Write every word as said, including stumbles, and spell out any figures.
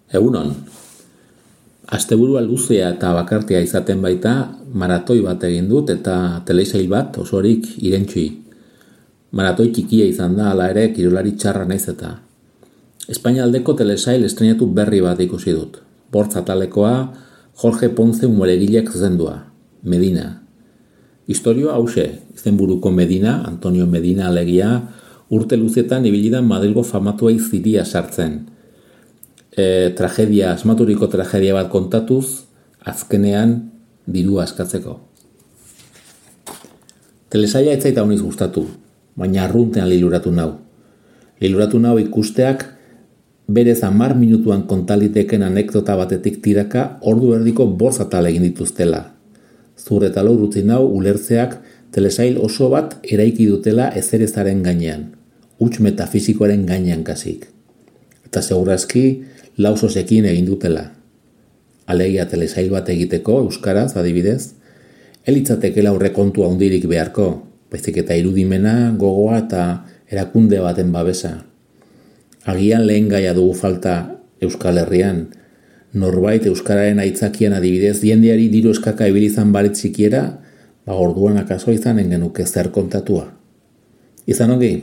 Egunon, asteburua luzea eta bakartia izaten baita, maratoi bat egin dut eta telesail bat osorik irentxi. Maratoi txikia izan da, hala ere kirolari txarra naiz eta. Espainialdeko telesail estrenatu berri bat ikusi dut. Bortz atalekoa Jorge Ponce umoregilek zuzendua, Medina. Historioa hause, izenburuko Medina, Antonio Medina alegia, urte luzetan ibilidan Madrilgo famatuei ziria sartzen. E, tragedia, asmaturiko tragedia bat kontatuz, azkenean dirua askatzeko. Telesaila ez zaita honiz gustatu, baina arruntean liluratu nau. Liluratu nau ikusteak berez hamar minutuan kontaliteken anekdota batetik tiraka ordu erdiko bortz atal egin dituztela. Zur eta lor utzi nau ulertzeak telesail oso bat eraiki dutela ezerezaren gainean, huts metafisikoaren gainean kasik. Eta segurazki lausosekin egin dutela. Alegia telesail bat egiteko, euskaraz adibidez, elitzatekela aurrekontu handirik beharko, baizik eta irudimena, gogoa eta erakunde baten babesa. Agian lehen gaia dugu falta Euskal Herrian, norbait euskararen aitzakian adibidez jendeari diru eskaka ibilizan barit sikiera, ba orduan akaso izanen genuke zer kontatua. Izan ongi?